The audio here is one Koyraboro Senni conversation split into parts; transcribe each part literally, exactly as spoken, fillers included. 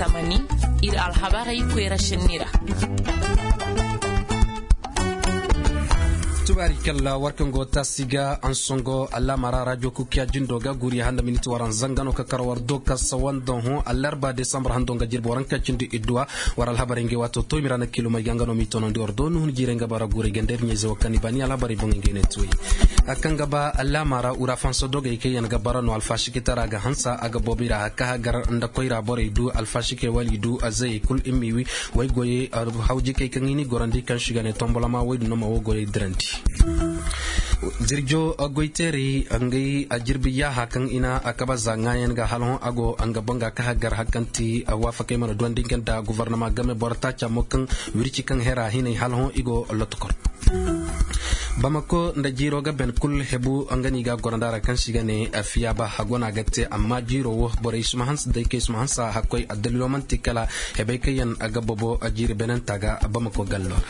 Tamani, ir alhabarey koyra šenni ra. Tubaari kalla war kaŋ go taasi ga ansongo allaamara rajo kukiya jindo ga guriya handa miniti waran zanga no ka kar war do ka sawanda hõ allarba desambar hando nga jirbi waranka cindi idduwa. War alhabarey ngey waato to i ma ra na kilomey ga nga no m'i tonandi war do nuhun jiirey nga bara guurey ganda ir ɲayze wo kaŋ i baani alhabarey boŋey ngey ne tuwey. A kaŋ ga ba allaamara wura fansa dogey kaŋ yaŋ ga bara no alfasikitara ga hansa a ga boobo i ra a ka hagar nda koyra borey du alfasikey wala i du azayey kul i m'i wi. Way goyey hawjikey kaŋ i n'i gorandi kaŋ si ga ne tombolama woy din no ma wo goyey dirandi. Zirjo goyteerey ngey a jirbi yaaha kaŋ i na a kaba za ŋaayan ga hala hõ a go nga boŋ ga ka hagar hari kaŋ ti waafakey mana duwandi nga nda gofornama game boro taaca mo kaŋ wirci kaŋ hera hinay hala hõ i go lotokor. Bamako nda jiiro ga ben kul hebu nga no i ga a gorandi a ra kaŋ si ga ne fiyaaba hago no a ga te amma jiiro wo borey si ma hansa day kay si ma hansa hakkoy addalilo man'ti kala hebey kaŋ yaŋ ga bobo jiiri benanta ga bamako gallo ra.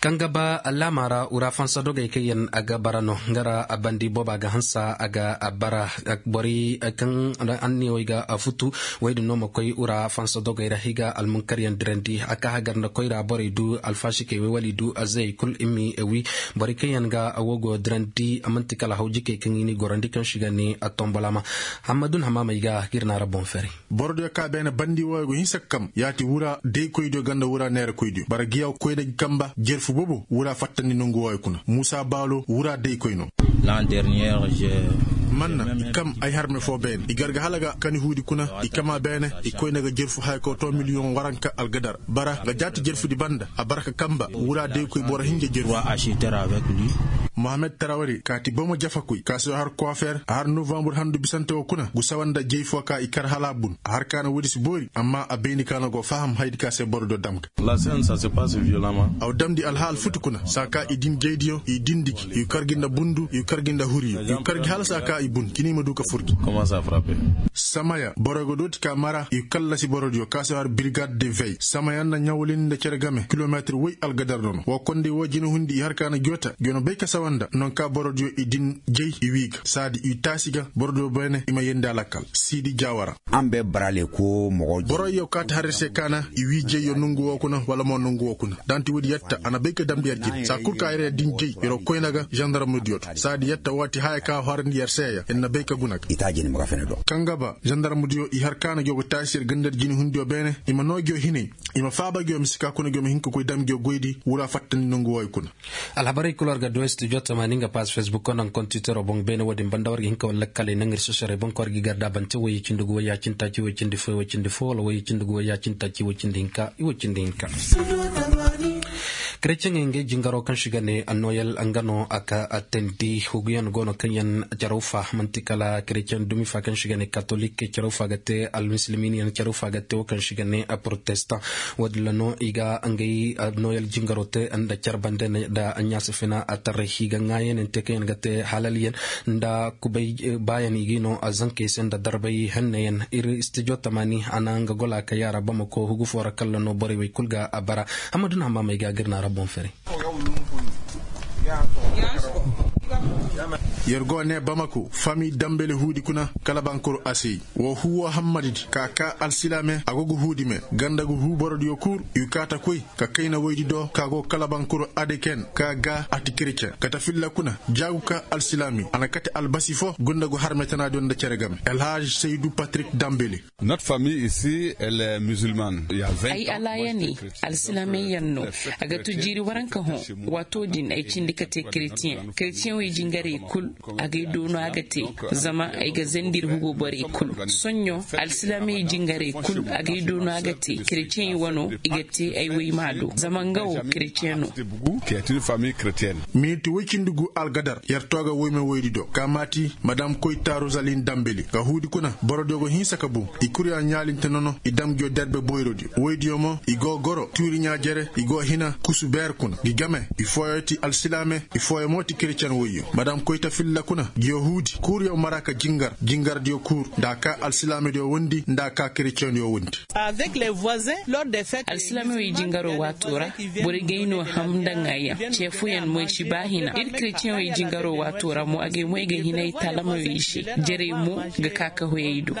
Kaŋ ga ba laama ra wura fansa dogey kaŋ yaŋ ga bara no nga ra bandi booba ga hansa a ga bara borey kaŋ anniyawey ga futu. Wey din no ma koy wura fansa dogey ra i ga almunkaryaŋ dirandi a ka hagar nda koyra borey du alfasikey wey wala i du azayey kul i m'i wi. Borey kaŋ yaŋ ga wo go dirandi man'ti kala hawjikey kaŋ i n'i gorandi kaŋ si ga ne a tombolama. Hammadun hamamey ga ga ir na ra boŋ fere. Borodiyo ka beene bandi wooyo go hinsa ga kam yaati wura daykoydiyo ganda wura neerakoydiyo bara giyaw koyna ga kamba jerfu bobo wura fattandi nongu wooyo kuna muusa baalo wura daykoy no. Manna i kam ay harme foo beene i gar ga hala ga kani huudi kuna i kam a beene. I koyna ga jerfu haya kaw too miliyoŋ waranka algadar bara nga jaati jerfudi banda a bara ka kamba wura daykoy boro hinja jerfu. Mohamed tarawari kaati bomo jafakoy ka se har koofeer a har novambur handu bisante woo kuna gu sawa nda jey foo ka i kar hala a bun a har ka na woodi si boori amma a bayndi ka na go faham hayadi ka se borodiyo dam ga. Aw damndi alhaal futu kuna saa ka i din jeydiyo i dindi gi i kar gi nda bundu i kar gi nda huriyo i kar gi hala saa ka i bun cini i ma du ka fur gi. Samaya boroyo ga dooti ka mara i kallasi borodiyo ka se har birigad de vey samaya nda ɲawlindi nda cere game kilometir woy algadar no no woo kondey woo jinahundi i har ka na joota gi wane bay ka sawa nda nonka borodiyo i din jey i wii ga saadi i taasi ga borodiyo beene i ma yeendi a lakkal siidi jaawara. Boroyyo kaati har ir se kaana i wii jeyyo nongu woo kuna wala mo nongu woo kuna da nti woodi yetta a na bay ka damndi yer jine saa kul ka yer yer din jey yeroo koyna ga zandarmudiyo to saadi yetta waati haya ka horandi yer seeya ir na bay ka guna ga. Kaŋ ga ba zandarmudiyo i har kaana giyo ga taasi yer ganda yer jinehundiyo beene i ma noo giyo hinay i ma faaba giyo mise ka kuna giyo ma hin ka koy dam giyo goydi wura fattandi nongu wooyo kuna. Alhabarey kul war ga du studio tamaani nga paas fesbuk konan kontitero boŋ beene wo-din banda war ga hin ka war lakkaley naŋ ir sosorey boŋ ka war ga i gar da bante woy cindi gu woy yaacin taaci woy cindi fo woy cindi fo wala woy cindi gu woy yaacin taaci woy cindi hinka i woy cindi hinka. Kereceŋey ngey jingaro kaŋ si ga ne noyel nga no a ka teendi huguyaŋ go no kaŋ yaŋ caraw fa man'ti kala kereceŋ dumi fa kaŋ si ga ne katolik caraw fa ga te almusulmin yaŋ caraw fa ga te wo kaŋ si ga ne protestan. Wo-din ra no i ga ngey noyel jingaro te nda care bande nda ɲaasi fina a taray i ga ŋaayaŋ te kaŋ yaŋ ga te halal yaŋ nda kubay baayaŋ i ga i no zankey se nda darbay henne yaŋ ir studio tamaani a na nga gola ka yaara bamako hugu foo ra kalla no borey wey kul ga a bara. Hammadu na hammaamey ga ga ir na ra boŋ fere. Yer go ne bamako fami dambele huudi kuna kala bankoro asey. Woo huu woo hammadidi ka kaa alsilaame a go ga huudi me ganda ga huu borodiyo kul i kaa ta koy ka kayna woydi do ka go kala bankoro adeken ka ga a ti kereceŋ kate filla kuna jaagu ka alsilaami a na kate albasi fo gunda go harmetanaadiyo nda cere game elhaj saydu patrik dambele. Ay alaayaney alsilaamey yaŋ no. A ga tu jiiri waranka hõ. Waato din ay cindi ka te keretiyeŋ keretiyeŋ wey jingarey kul. Agay doono a ga te zama ay ga zandi ir hugo borey kul. Soɲõ alsilaamey jingarey kul agay doono a ga te keretiyeŋey wano i ga te ay woyma do zama nga wo keretiyeŋ no. Miniti woy cindi gu algadar yer too ga woyma woydi do kaamaati madam koyta rosalin dambeli ka huudi kuna borodiyo go hinsa ka bum. I kurya ɲaalinte nono i dam ngiyo derbe boyrodiyo woydiyo mo i go goro tuuri ɲaa jere i go hina kusu beer kuna ngi game. I fooyo ti alsilaame i fooyo mo ti keretiyen woyyo. Madam koyta filla kuna, yahuudi kuuryaŋ mara ka jingar jingardiyo kuur, nda a ka alsilaamadiyo wondi nda a ka kereceŋdiyo wondi. Alsilaamey wey jingaroo waatoo ra, borey gay no ham nda ŋaayaŋ, ceefuyaŋ mo ay si ba hina ir kereceŋey jingaroo waatoo ra mo agay mo ay ga hinay talamey wey se. Jarey mo ga ka ka hoyey do.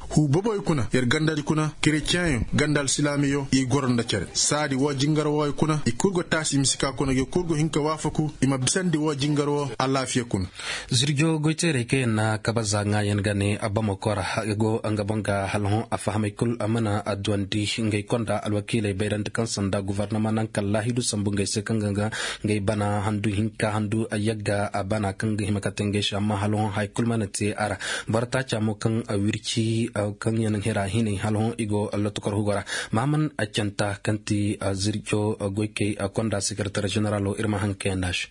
Huu bobey kuna yer gandadi kuna kereceŋyo ganda alsilaamiyo i goro nda cere saadi woo jingar wooyo kuna i kul go taasi i ma si ka kuna gi kul go hin ka waafaku i ma bisandi woo jingar woo alaafiya kuna. Zirjo goyteerey kaŋ yaŋ na kabaza ŋaayan ga ne a bamako ra, go nga boŋ ga hala hõ a fahamey kul a mana adduwandi ngey konda alwakiiley bayrandi kaŋ sanda guvarnama naŋ kaŋ laahidu sambu ngey se kaŋ ga nga ngey bana handu hinka handu yagga a bana kaŋ ga hima ka te ngey se amma hala hõ haya kul mana te a ra. Boro taaca mo kaŋ wirci kaŋ yaŋ hira hinay hala hõ i go lotokor hugo ra. Mahaman canta kaŋ ti zirco goykey konda sekretar ženeralo ir ma haŋ kayanda se.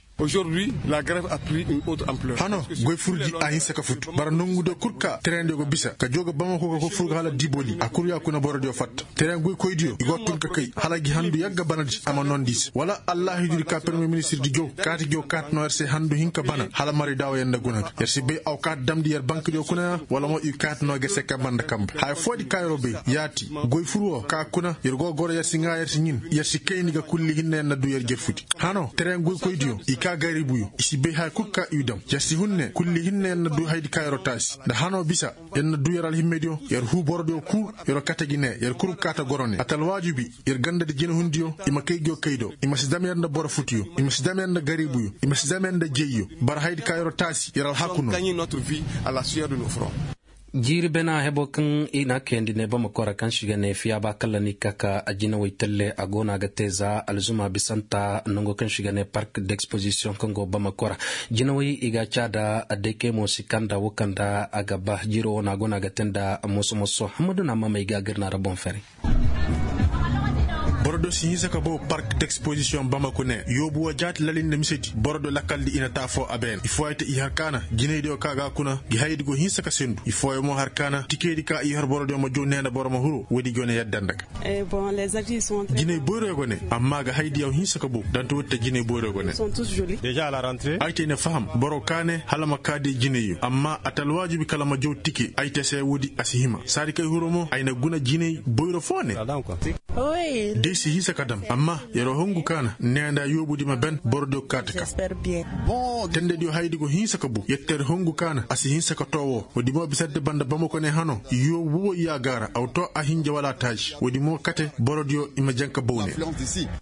Hano goy furji a hinsa ka futu bara nongudiyo kul ka tereyandiyo ga bisa ka joo ga bamako ka koy fur ga hala diboli a kul ya kuna borodiyo fatta. Tereyaŋ goykoydiyo i go tun ka kay hala gi handu yagga banadi a ma nondi i se wala allaahidudi ka permiye ministirdi jow kaati jow kaati no yer se handu hinka bana hala marayda wo yer nda guna ga yer si bay aw kaati damndi yer bankdiyo kuna ya wala mo i kaati no ga yer se kanba nda kanba haya foodi ka yer'o bay. Yaati goy fur wo ka kuna yer go goro yer si ŋaa yer si ɲin yer si kayndi ga kulli hinne yer na duu yer jerfudi. Hano tereyaŋ goykoydiyo i ka garibuyo i si bay haya kul ka i dam yer si hun ne kulli hinne yer na duu hayadi ka yer'o taasi nda hano bisa. Yer na duu yer alhimmediyo yer huu borodiyo kul yer'o kate gi ne yer kul ga kaate goro ne ata alwaajibi yer gandadi jinehundiyo i ma kay giyo kay do i ma si dam yer nda boro futuyo i ma si dam yer nda gariibuyo i ma si dam yer nda jeyyo. Bara hayadi ka yer'o taasi yer alhaku no. Jiiri bena hebo kaŋ i na a kayandi ne bamako ra kaŋ si ga ne fiyaaba kalla ni ka ka jinawey talle a go no a ga te za alzuma bisanta nango kaŋ si ga ne park d'exposition kaŋ go bamako ra. Jinawey i ga a caa da. Daykey mo si kanda wo kaŋ da a ga ba jiiro wo no a go no a ga te nda moso moso hammadu na mamey ga a ga ir na ra boŋ fere. Boro do si hinsa ka bow park d'exposition bamako ne yoobu wo jaati lali nda misedi boro do lakaldi i na taafoo a beene i fooyante i har kaana jinaydiyo ka ga a kuna gi hayadi go hinsa ka sendu i fooyo mo har kaana tikeydi ka i har borodiyo ma jow ne nda boro ma huru woodi go ne yadda nda ga. Jinay boyroyo go ne amma ga hayadiyo hinsa ka bow danti woodi te jinay boyroyo go ne. Ay te ay na faham boro ka ne hala ma kaa day jinayyo amma a ta alwaajibi kala ma jow tike ay te se woodi a si hima saadi kay huro mo ay na guna jinay boyro foo ne. Day si hinsa ka dam amma yer wo hongu kaana neeya nda yoobudi ma ben borodiyo ga kaa ta kaa. Tendediyo hayadi go hinsa ka bow yer ter hongu kaana a si hinsa ka too woo woodi mo bisante banda bamako ne hano yoobu boboy ya gaara aw too a hinja wala a taaji woodi mo kate borodiyo i ma jaŋ ka bow ne.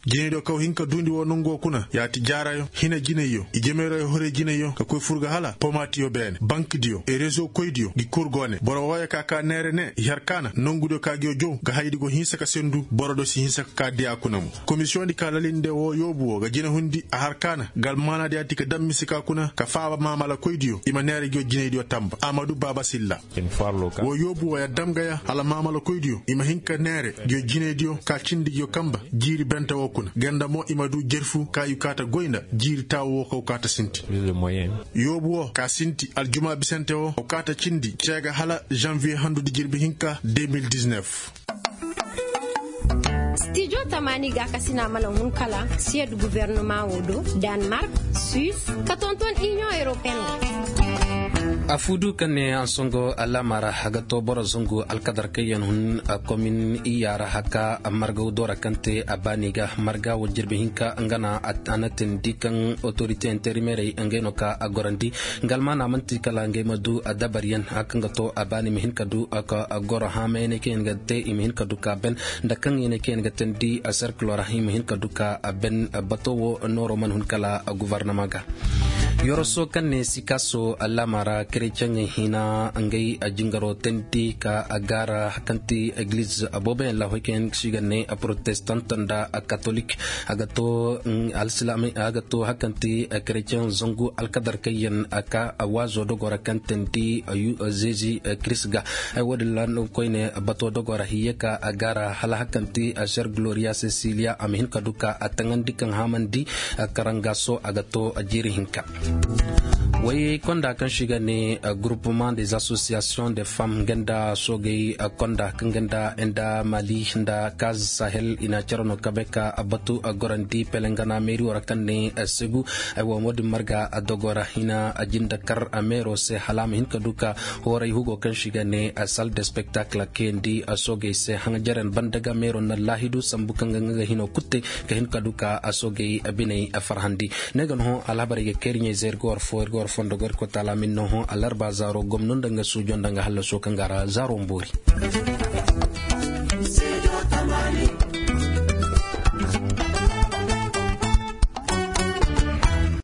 Jinaydiyo kaw hin ka duundi woo nongu woo kuna yaati jaarayo hina jinayyo i jemeerayoo horey jinayyo ka koy fur ga hala pomaatiyo beene bankdiyo e rezo koydiyo gi kul go ne boro wooyo ka kaa neere ne i har kaana nongudiyo ka gi yoo jow ga hayadi go hinsa ka sendu boro do si hinsa ka kaa diyaa kuna mo. Komisiyoŋdi ka lalinde woo yoobu woo ga jinahundi a har kaana ga almaanaadiyaati ka dam mise ka kuna ka faaba maamalakoydiyo i ma neere gi yoo jinaydiyo tanba amadu baaba silla. Woo yoobu woo ya dam ga ya hala maamalakoydiyo i ma hin ka neere gi yoo jinaydiyo ka cindi gi yoo kanba jiiri bente woo kuna ganda mo i ma duu jerfu ka i kaa ta goy nda jiiri taawu woo kaw kaa ta sinti. Yoobu woo ka sinti aljumaa bisante woo kaw kaa ta cindi cee ga hala janviye handudi jirbi hinka deux mille dix-neuf. Stijo tamaani gaakasina mana hun kala siyed guvernemaa woo do, danmark, suis, ka tonton iniyoŋ europeen. Afuudu kaŋ ne ansongo alaama ra a ga too boro zangu alkadar kaŋ yaŋ hun komin iyya ra haka margaw doora kaŋ te a baani ga marga wo jirbi hinka nga na a na teendi kaŋ otorite interimerey ngey no ka a gorandi. Nga almaana man'ti kala ngey ma du dabaryaŋ haka nga too a baani ma hin ka du ka goro haamayyaŋ kaŋ yaŋ ga te i ma hin ka du ka ben nda kaŋ yaŋ kaŋ yaŋ ga teendi serkilo ra i ma hin ka du ka ben. Bato wo nooro mana hun kala guvarnama ga. Yoroso kaŋ ne sikaaso alaama ra kereceŋey hina ngey jingaro teendi ka gaara kaŋ ti egliz booboyaŋ laahoy kaŋ yaŋ si ga ne protestant nda katolik. A ga to alsilaamey a ga to hakaŋ ti kereceŋ zangu alkadar kaŋ yaŋ ka waazo dogo ra kaŋ teendi zeezi kiris ga. Ay woodin ra no koyne bato dogo ra hiye ka a gaara hala hakaŋ ti ser gloria cecilia a ma hin ka du ka a taŋandi kaŋ haamandi. Karangaso a ga to jiiri hinka. Way konda kaŋ se i ga ne, gurupement des associations de femme nga nda soogey konda kaŋ ga nda nda mali nda kaz sahel i na care no kabe ka batu gorandi pelengana meeri wo ra kaŋ ne segu. Ay wo mo din marga dogo ra i na jinde kar meero se hala a ma hin ka du ka hooray hugo kaŋ se i ga ne salle de spectacle kayandi soogey se haŋ jaren banda ga meero na laahidu sambu kaŋ ga nga ga hino kutte ka hin ka du ka soogey biney farhandi. Ne ga no hõ alhabarey ga kay ir ɲey zey ir ga war fo ir ga war fondo go ir koy taala min no hõ alarba zaaro gomno nda nga suujo nda nga hallaso kaŋ ga ra zaaro mboori.